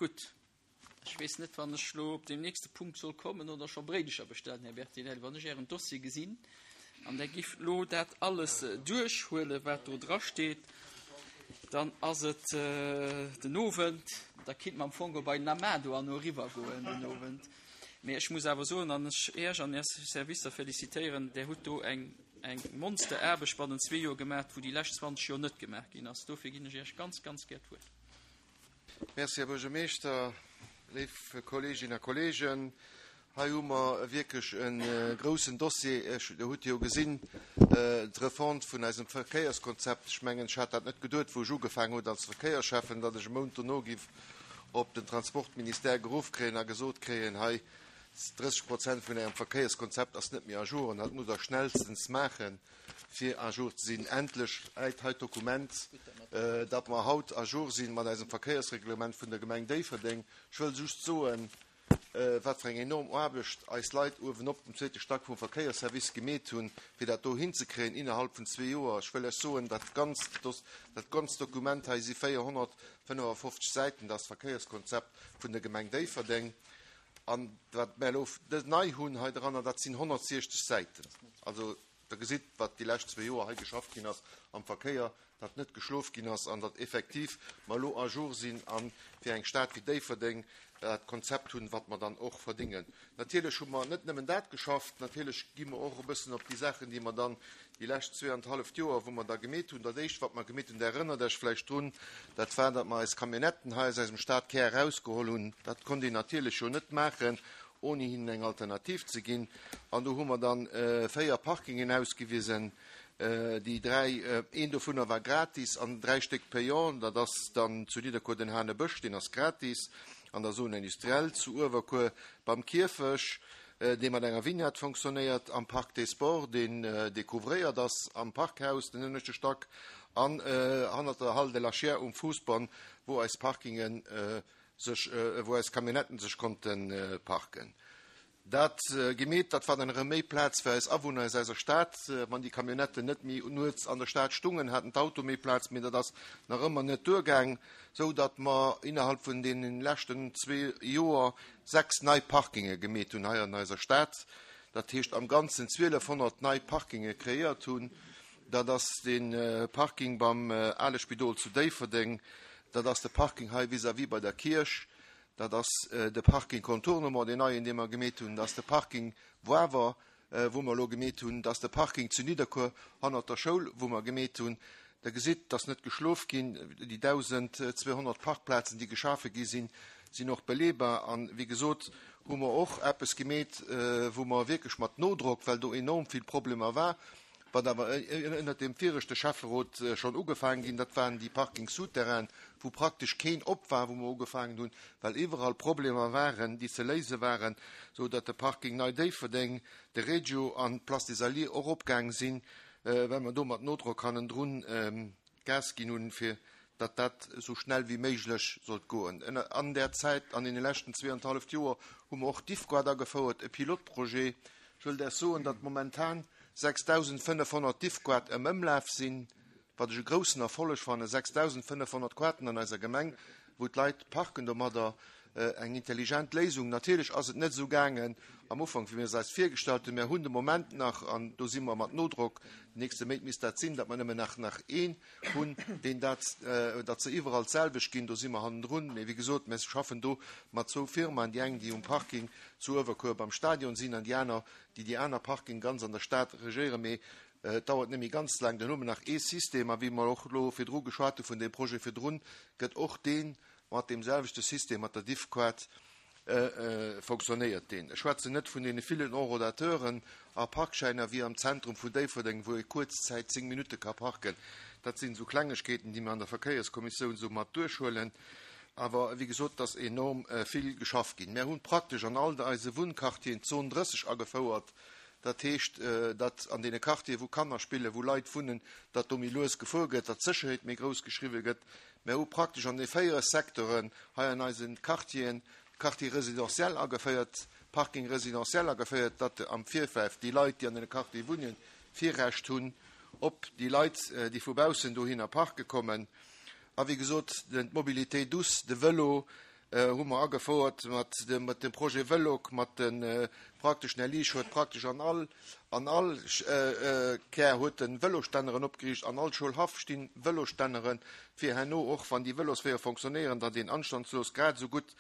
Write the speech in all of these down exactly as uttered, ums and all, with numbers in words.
Gutt, ech weess net, wann ech elo op deem nächste Punkt soll kommen oder scho Bréidecher bestellen, Här Bertinelli, wann ech Ären Dossier gesinn an Der giff elo dat alles duerchhuelen, wat do drasteet, dann ass et den Owend, da kinnt mer am Fong och bei den Amado an eriwwer goen den Owend. Mee ech muss awer soen, an ech Iech an Är Servicer felicitéieren, Der hutt do eng eng Monsteraarbecht bannent zwee Joer gemaach, wou déi lescht zwanzeg Joer net gemaach ginn ass. Dofir ginn ech Iech ganz, ganz gär d'Wuert. Merci, Här Buergermeeschter. Léif Kolleeginnen a Kolleegen, hei hu mer wierklech e groussen Dossier. Ech, Der hutt jo gesinn, d'Refonte vun eisem Verkéierskonzept. Ech mengen, ech hat dat net geduet, wou ech ugefaangen hunn als Verkéiersschäffen, datt ech e Mount dono giff op den Transportministère geruff kréien a gesot kréien, hei, drësseg Prozent vun Ärem Verkéierskonzept ass net méi à jour an dat musst Der schnellstens maachen, fir à jour ze sinn. Endlech läit hei d'Dokument, datt mer haut à jour si mat eisem Verkéiersreglement vun der Gemeng Déifferdeng. Ech wëll just soen, wat fir eng enorm Aarbecht eis Leit uewenop um zweete Stack vum Verkéiersservice gemeet hunn, fir dat do hinzekréien innerhalb vun zwee Joer. Ech wëll lech soen, dat ganzt, dat ganzt Dokument hei si véierhonnertfënnefafofzeg Säiten, dat ass d'Verkéierskonzept vun der Gemeng Déifferdeng. An wat mär elo nei hunn hei dranner, dat sinn honnertsiechzeg Säiten. Also Der gesitt, wat déi lescht zwee Joer hei geschafft ginn ass am Verkéier, datt net geschlof ginn ass an datt effektiv mer elo à jour sinn a fir eng Stad wéi Déifferdeng dat Konzept hunn, wat mer dann och verdingen. Natierlech hu mer net nëmmen dat geschafft, natierlech gi mer och e bëssen op déi Saachen, déi mer dann déi lescht zwee an d'halleft Joer, wou mer da gemeet hunn. Dat Éischt, wat mer gemeet hunn, Der erënnert Iech vläicht drun, dat war, datt mer eis Camionnetten hei aus eisem Stadkär erausgeholl hunn. Dat konnt een natierlech jo net maachen, ouni hinnen eng Alternativ ze ginn. An do hu mer dann véier Parkingen ausgewisen, déi dräi, een dovunner war gratis an dräi Stéck payant. Dat ass dann zu Nidderkuer den Hanebësch, deen ass gratis, an der Zone industrielle zu Uewerkuer beim Kierfech, dee mat enger Vignette fonctionnéiert, am Parc des Sports, deen découvréiert ass, am Parkhaus, den ënneschte Stack, an hannert der Halle de la Chiers um Fousbann, wou eis Parkingen sech, wou eis Camionnetten sech konnte parken. Dat gemeet, dat war dann erëm méi Plaz fir eis Awunner aus eiser Stad. Wann déi Camionnetten net méi nuets an der Stad stungen, haten d'Auto méi Plaz, mee dat ass nach ëmmer net duergaang, sou datt mer innerhalb vun deene leschten zwee Joer sechs nei Parkinge gemeet hunn hei an eiser Stad. Dat heescht am Ganzen zwielefhonnert nei Parkinge kreéiert hunn. Dat ass de Parking beim ale Spidol zu Déifferdeng, dat ass de Parking hei vis-à-vis bei der Kierch, dat ass de Parking Contournement, deen neien, dee mer gemeet hunn, dat ass de Parking Wawer, wou mer elo gemeet hunn, dat ass de Parking zu Nidderkuer hannert der Schoul, wou mer gemeet hunn. Der gesitt, dass net geschlof ginn. Déi dausendzweehonnert Parkplazen, déi geschafe gi sinn, sinn och beleebar. An, wéi gesot, hu mer och eppes gemeet, wou mer wierklech mat Nodrock, well do enorm vill Problemer war, wat awer ënnert deem viregte Schäfferot schonn ugefaangen ginn, dat waren déi Parkings souterrainen, wou praktesch keen op war, wou mer ugefaangen hunn, well iwwerall Problemer waren, déi ze léise waren, sou datt de Parking Nei Déifferdeng, de Regio an d'Place des Alliés och opgaang sinn, well mer do mat Nodrock hannendrun Gas ginn hunn, fir datt dat esou schnell wéi méiglech sollt goen. An där Zäit, an deene leschten zwee an d'halleft Joer, hu mer och d'Diffquart agefouert, e Pilotprojet. Ech wëll Iech soen, datt momentan sechsdausendfënnefhonnert Diffquart am Ëmlaf sinn, wat ech e groussen Erfolleg fannen, sechsdausendfënnefhonnert Quarten an eiser Gemeng, wou d'Leit parken domadder, eng intelligent Léisung. Natierlech ass et net esou gaangen am Ufank, wéi mir es eis virgestallt hunn. Mir hunn de Moment nach, an do si mer mat Nodrock, den nächste Méint misst dat sinn, datt mer nëmmen nach nach een hunn, deen dat, datt se iwwerall d'selwecht ginn. Do si mer hannendrun. Mee wéi gesot, mir schaffen do mat zwou Firmaen, déi eng, déi um Parking zu Uewerkuer beim Stadion sinn, an déi aner, déi déi aner Parking ganz an der Stad regéieren. Mee et dauert net méi ganz laang, dann hu mer nach ee System. A wéi mer och elo virdru geschwat hu vun deem Projet virdrun, gëtt och dee mat deem selwechte System, mat der Diffquart, fonctionnéiert deen. Ech schwätzen net vun deene villen Enrodateuren a Parkschäiner wéi am Zentrum vun Déifferdeng, wou ee kuerz Zäit zéng Minutte ka parken. Dat sinn esou Klengegkeeten, déi mer an der Verkéierskommissioun esou mat duerchhuelen. Awer wéi gesot, et ass enorm vill geschafft ginn. Mär hunn praktesch an all eise Wunnquartieren d'Zon drësseg agefouert. Dat heescht, datt an deene Quartieren, wou Kanner spillen, wou Leit wunnen, datt do méi lues gefuer gëtt, datt d'Sécherheet méi grouss geschriwwe gëtt. Mär hu praktesch an de véiere Secteuren hei an eise Quartieren Quartier résidentiel ageféiert, Parking résidentiel ageféiert, datt am Virfeld déi Leit, déi an deene Quartiere wunnen, Virrecht hunn op déi Leit, déi vu baussen dohinner parke kommen. A wéi gesot, d'Mobilité douce, de Vélo, hu mer agefouert mat dem, mat dem Projet Vël'ok, mat de praktesch den Här Liesch huet praktesch an all, an all Kär huet en Vëlosstänneren opgeriicht, an all Schoulhaff stinn Vëlosstänneren, fir herno och, wann déi Vëlosweeër fonctionnéieren, datt een anstandslos grad esou gutt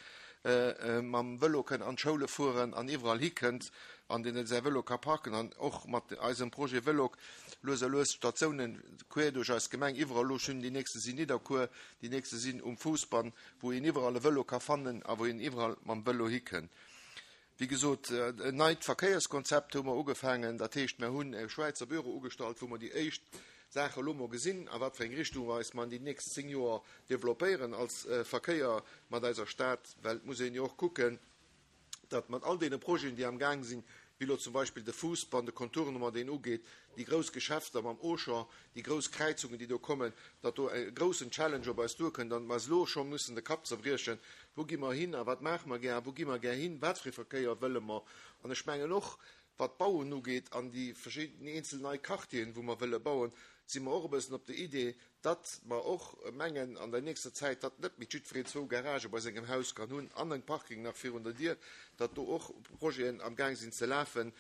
mam Vëlo kënn an d'Schoule fueren an iwwerall hikënnt an deen säi Vëlo ka parken. An och mat eisem Projet Vël'ok lues a lues Statiounen queer duerch eis Gemeng iwwerall, elo schonn déi nächste sinn Nidderkuer, déi nächste sinn um Fousbann, wou een iwwerall e Vëlo ka fannen a wou een iwwerall mam Vëlo hikënnt. Wéi gesot, en neit Verkéierskonzept hu mer ugefaangen. Dat heescht, mer hunn e Schwäizer Büro ugestallt, wou mer déi éischt Saache elo mol gesinn, a wat fir eng Richtung mer eis mer an déi nächst zéng Joer developpéieren als Verkéier mat eiser Stad. Well et muss een jo och kucken, datt mat all deene Projeten, déi am Gaang sinn, wéi elo zum Beispill de Fousbann, de Contournement, deen ugeet, déi grouss Geschäfter mam Auchan, déi grouss Kräizungen, déi do kommen, datt do e groussen Challenge op eis duerkënnt an mer eis elo scho mussen de Kapp zerbriechen, Wou gi mer hin a wat maache mer gär a wou gi mer gär hin, wat fir ee Verkéier wëlle mer? An ech mengen och, wat d'Bauen ugeet an déi verschidden eenzel nei Quartieren, wou mer wëlle bauen, si mer och e bëssen op der Idee, datt mer och mengen an der nächster Zäit, datt net méi jiddwereen zwou Garagë bei sengem Haus kann hunn an e Parking nach virun der Dier, datt do och Projeten amgaang sinn ze lafen,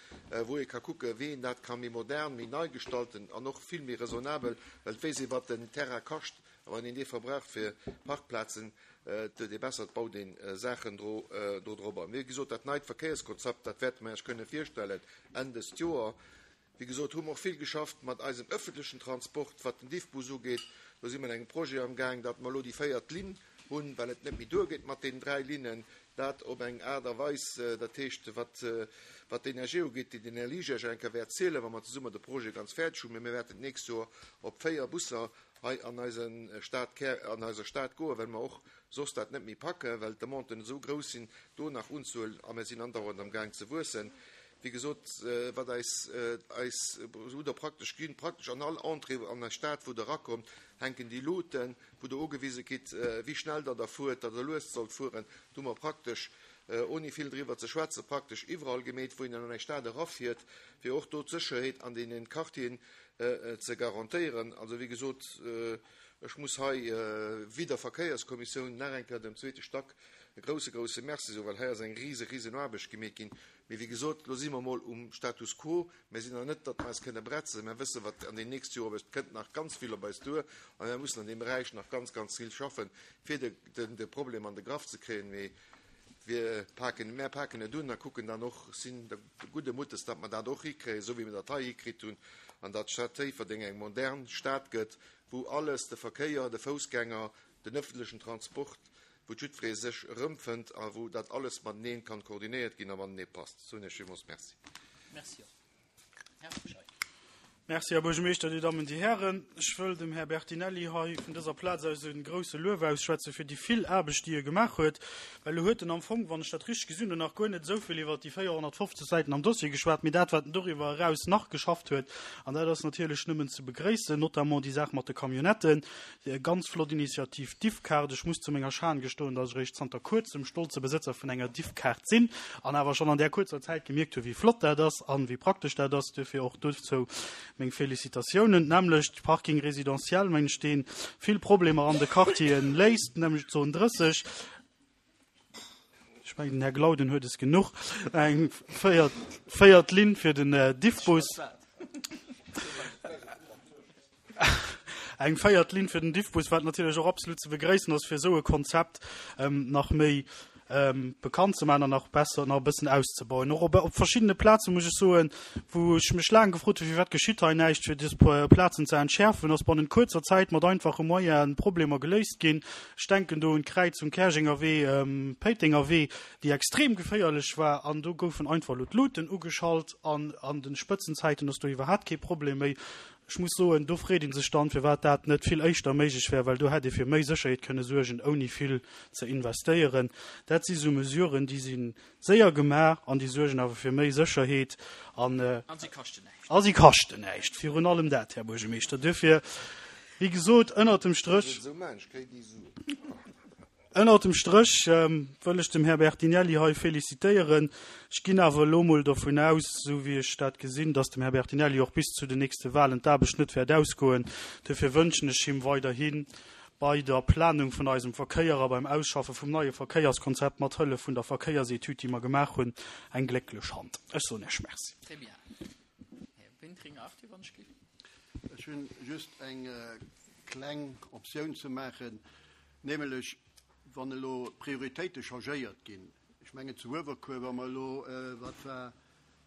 wou ee ka kucken, wéi een dat ka méi modern, méi nei gestalten an och vill méi raisonnabel, well et weess ee wat den Terrain kascht a wann een dee verbraucht fir Parkplazen, et huet ee besser, et baut ee Saachen do drop an. Wéi gesot, dat neit Verkéierskonzept, dat wäerte mer Iech kënne virstellen Enn dëst Joer. Wéi gesot, hu mer och vill geschafft mat eisem öffentlechen Transport, wat den Diffbus ugeet. Do si mer an engem Projet amgaang, datt mer elo déi véiert Linn hunn, well et net méi duergeet mat deenen dräi Linnen. Dat op eng Aart a Weis, dat heescht, wat, wat d'Energie ugeet, déi den Här Liesch Iech eng Kéier wäert zielen, wa mer zesumme de Projet ganz fäerdeg hunn. Mee mir wäerten d'nächst Joer op véier Busser hei an eise Stad, an eiser Stad goen, well mer och soss dat net méi packen, well d'Demanden esou grouss sinn, do nach unzehuelen. A mir sinn andauernd amgaang ze wuessen. Wéi gesot, wat eis, eis hutt Der praktesch ginn, praktesch an all Entrée an eis Stad, wou Der erakommt, hänken déi Luuten, wou Der ugewise kritt, wéi schnell Der da fuert, datt Der lues sollt fueren. Do hu mer praktesch, ouni vill driwwer ze schwätzen, praktesch iwwerall gemeet, wou een an eng Stad erafiert, fir och do d'Sécherheet an deenen Quartieren ze garantéieren. Also, wéi gesot, ech muss hei wéi der Verkéierskommissioun nach eng Kéier dem zweete Stack e grouse, grouse Merci soen, well hei ass eng rise, risen Aarbecht gemeet ginn. Mee wéi gesot, elo si mer emol um Status quo. Mir sinn nach net, datt mer eis kënne bretzen. Mer wëssen, wat an den nächste Joer op eis, et kënnt nach ganz vill op eis duer a mir mussen an deem Beräich nach ganz, ganz vill schaffen, fir de, de Problem an de Graff ze kréien. Mee wir paken, mär paken et un a kucken dann och, sinn gudde Muttes, datt mer dat och hikréien, esou wéi mer dat hei hikritt hunn, an datt d'Stad Déifferdeng eng modern Stad gëtt, wou alles, de Verkéier, de Foussgänger, den öffentlechen Transport, wou jiddweree sech erëmfënnt a wou dat alles mateneen kann koordinéiert ginn a matenee passt. Soen Iech villmools Merci. Merci och. Här Scheid. Merci, Här Buergermeeschter, Dir Dammen, Dir Hären. Ech wëll dem Här Bertinelli hei vun dëser Plaz aus e grouse Luef ausschwätze fir déi vill Aarbecht, déi e gemaach huet, well e huet en am Fong, wann ech dat richteg gesinn hunn, nach guer net esou vill iwwert déi véierhonnertfofzeg Säiten am Dossier geschwat, mee dat, wat en doriwwer eraus nach geschafft huet. An dat ass natierlech nëmmen ze begréissen, notamment déi Saach mat de Camionnetten. Ganz flott Initiativ, d'Diffkaart. Ech muss zu menger Schan gestoen, datt ech eréischt zanter kuerzem stolze Besëtzer vun enger Diffkaart sinn an awer schonn an där kuerzer Zäit gemierkt hu wéi flott dat ass an wéi praktesch dat ass. Duerfir och dozou meng Félicitatiounen. D'nämmlecht Parking résidentiel, mengen ech, dee vill Problemer an de Quartieren léist, nämlech d'Zon drësseg. Ech mengen, den Här Glauden huet es genuch. Eng véiert, véiert Linn fir den Diffbus. Eng véiert Linn fir den Diffbus, wat natierlech och absolut ze begréissen ass, fir esou e Konzept nach méi bekannt ze maachen an nach besser, nach e bëssen auszebauen. Och op, op verschiddene Plaze muss ech soen, wou ech mech laang gefrot hunn, firwat geschitt hei näischt, fir dës Plazen ze entschäerfen, ass bannent kuerzer Zäit mat einfache Moyenen Problemer geléist ginn. Ech denken do un d'Kräizung Käerjenger Wee, Péitenger Wee, déi extrem geféierlech war, an do goufen einfach elo d'Luuten ugeschalt an an de Spëtzenzäiten ass do iwwerhaapt kee Problem méi. Ech muss soen, do freet ee sech dann, firwat dat net vill éischter méiglech wär, well do hätt ee fir méi Sécherheet kënne suergen, ouni vill ze investéieren. Dat si sou Mesuren, déi si séier gemaach an déi suergen awer fir méi Sécherheet an A si kaschten näischt. A si kaschten näischt, virun allem dat, Här Buergermeeschter. Duerfir, wéi gesot, ënnert dem Stréch. Ënnert dem Stréch wëll ech dem Här Bertinelli hei félicitéieren. Ech ginn awer elo emol dovun aus, esou wéi ech dat gesinn, dass dem Här Bertinelli och bis zu den nächste Wahlen d'Aarbecht net wäert ausgoen. Duerfir wënschen ech him weiderhi bei der Planung vun eisem Verkéier a beim Ausschaffe vum neie Verkéierskonzept mat Hëllef vun der Verkéiersetüd, déi mer gemaach hunn, eng glécklech Hand. Ech soen Iech Merci. Très bien. Här Wintringer, Arthur, wann ech géif. Ech hunn just eng kleng Optioun ze maachen, nämlech wann elo d'Prioritéite changéiert ginn, ech mengen zu Uewerkuer, wa mer elo, wat war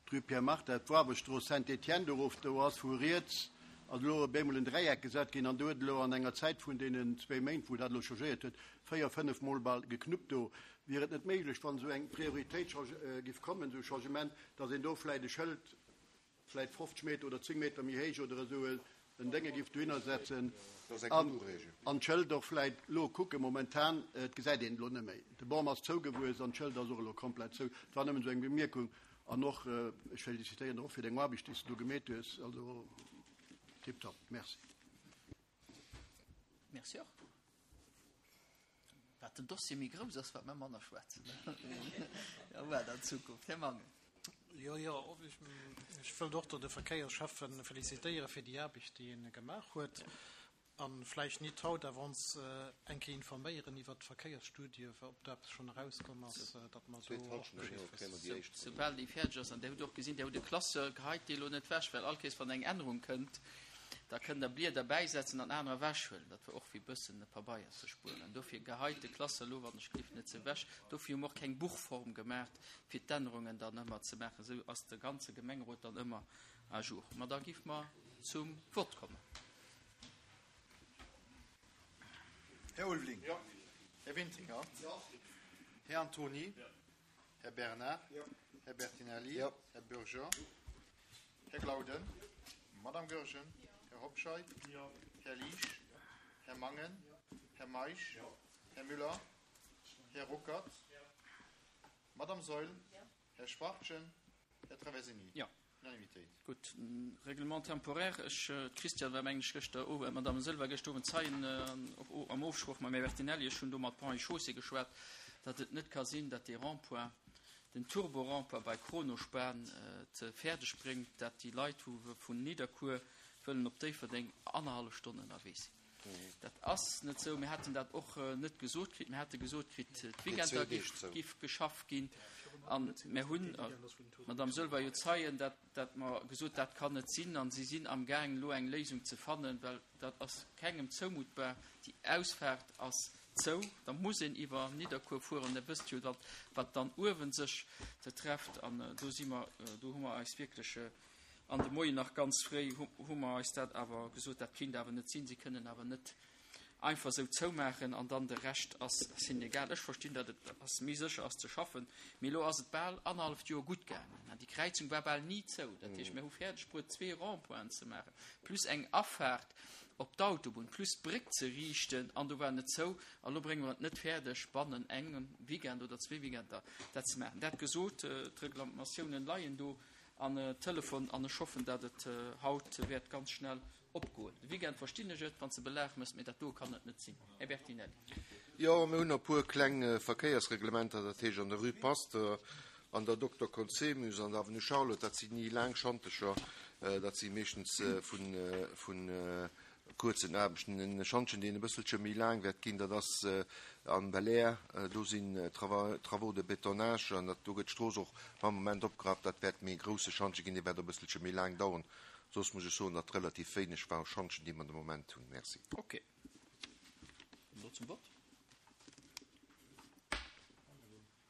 d'Rue Pierre Martha, d'Wahrbestrooss Saint-Étienne do erof, do ass vu riets ass elo op eemol en Dräieck gesat ginn an do huet elo an enger Zäit vun deenen zwee Méint, wou dat elo changéiert huet, véier, fënnef Mol bal geknuppt do. Wier et net méiglech, wann esou eng Prioritéit giff kommen, esou e Changement, datt een do vläicht e Schëld vläicht fofzeg Meter oder zéng Meter méi héich oder esou en Dénge giff dohinner setzen an d'Schëld och vläicht elo kucken, momentan, et gesäit een et elo net méi, de Bam ass zougewuess an d'Schëld ass och elo komplett zou. Et war nëmmen esou eng Bemierkung. An och, ech félicitéieren der och fir deng Aarbecht, déi s de do gemeet hues. Also tiptop. Merci. Merci och. Wat den Dossier méi grouss ass, wat mer manner schwätzen. Jo, wat an Zukunft. Här Mangen. Jo, jo, ech wëllt och do de Verkéierschäffe félicitéiere fir déi Aarbecht, déi en gemaach huet. A vläicht nit haut, awer ons eng Kéier informéieren iwwert d'Verkéiersstudie, ob do eppes schonn erauskomm ass, datt mer do och Bescheed wëssen. Soubal déi fäerdeg ass, an Dir hutt och gesinn, Dir hutt e Classeur geheit dee elo net ewech, well all Kéiers wann eng Ännerung kënnt, da kënnt Der Blieder bäisetzen an anerer ewechhuelen. Dat war och fir e bëssen Pabeier ze spueren. An dofir geheit de Classeur elo, wann ech gleef, net ze ewech. Dofir hu mer och keng Buchform gemaach, fir d'Ännerungen dann ëmmer ze maachen. Esou ass de ganze Gemengerot dann ëmmer à jour. Ma da géife mer zum Vott kommen. Här Ulveling. Jo. Här Wintringer. Jo. Här Antony. Jo. Här Bernard. Jo. Här Bertinelli. Jo. Här Bürger. Jo. Här Glauden. Jo. Madame Goergen. Jo. Här Hobscheit. Jo. Här Liesch. Jo. Här Mangen. Jo. Här Meisch. Jo. Här Müller. Här Ruckert. Jo. Madame Saeul. Jo. Här Schwachtgen. Här Traversini. Jo. Unanimitéit. Gutt, Règlement temporaire, ech, d'Christiane war mengen ech gëschter Owend, d'Madame Saeul war gëschter Owend Zeien an och am Ofsproch mam Här Bertinelli, ech hunn do mat Ponts et Chaussées geschwat, datt et net ka sinn, datt dee Rond-point, den Turbo-Rond-point bei Kronospan et fäerdeg bréngt, datt déi Leit, wou vun Nidderkuer wëllen op Déifferdeng, annerhallef Stonn ënnerwee sinn. Dat ass net esou. Mir haten dat och net gesot kritt. Mir hate gesot kritt, d'Weekender géif geschafft ginn. A mir hunn, d'Madame Saeul war jo Zeien, dat, dat mer gesot, dat kann net sinn. A si sinn amgaang, elo eng Léisung ze fannen, well dat ass kengem zoumuttbar. Déi Ausfaart ass zou, da muss een iwwer Nidderkuer fueren. Der wësst jo, datt, wat dann uewen sech trefft. An do si mer, do hu mer eis wierklech An de Moien nach ganz fréi hu mer eis dat awer gesot, dat kinnt awer net sinn, si kënnen awer net einfach esou zoumaachen an dann de Rescht ass hinnen egal. Ech verstinn, datt et ass méi sécher ass ze schaffen, mee elo ass et bal annerhalleft Joer gutt gaangen an déi Kräizung war bal ni zou. Dat heescht, mir hu fäerdeg bruet zwee Rond-pointen ze maachen, plus eng Afaart op d'Autobunn, plus d'Bréck ze riichten an do war net zou. A lo brénge mer et net fäerdeg bannen engem Weekend oder zwee Weekender dat ze maachen. Dat gesot, d'Reklamatiounen leien do. An Telefon an ech hoffen dat et haut wäert ganz schnell opgoen. De Weekend verstinn ech et wann s de Belag mëss, mee dat do kann et net sinn. Här Bertinelli. Jo, mir hunn e puer kleng Verkéiersreglementer, dat heescht an der Rue Pasteur, an der Dokter Conzemius, an der Avenue Charlotte, dat sinn ni laang Schantecher, dat si meeschtens vu kuerzen Aarbechten. En Schantjen, deen e bësselche méi laang wäert ginn, dat ass am Belair. Do sinn Travaux de bétonnage an dat do gëtt d'Strooss och am Moment opgerappt. Dat wäert méi e grousse Schantje ginn, dee wäert och e bësselche méi laang daueren. Soss muss ech soen, datt relativ wéineg war Schantjen, déi mer de Moment hunn. Merci. Ok. Elo zum Vott.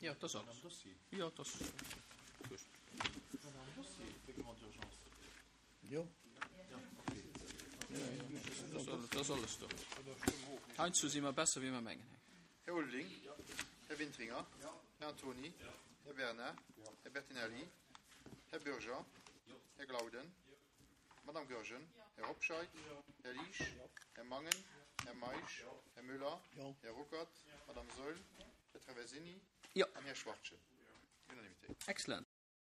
Jo, dat ass alles. Jo, dat ass just. Jo. Dat ass alles do. Heiansdo si mer besser, wéi mer mengen. Här Ulveling. Här Wintringer. Här Antony. Här Bernard. Här Bertinelli. Här Bürger. Här Glauden. Madame Goergen. Här Hobscheit. Här Liesch. Här Mangen. Här Meisch. Här Müller. Här Ruckert. Madame Saeul. Här Traversini. An Här Schwachtgen. Unanimitéit. Excellent.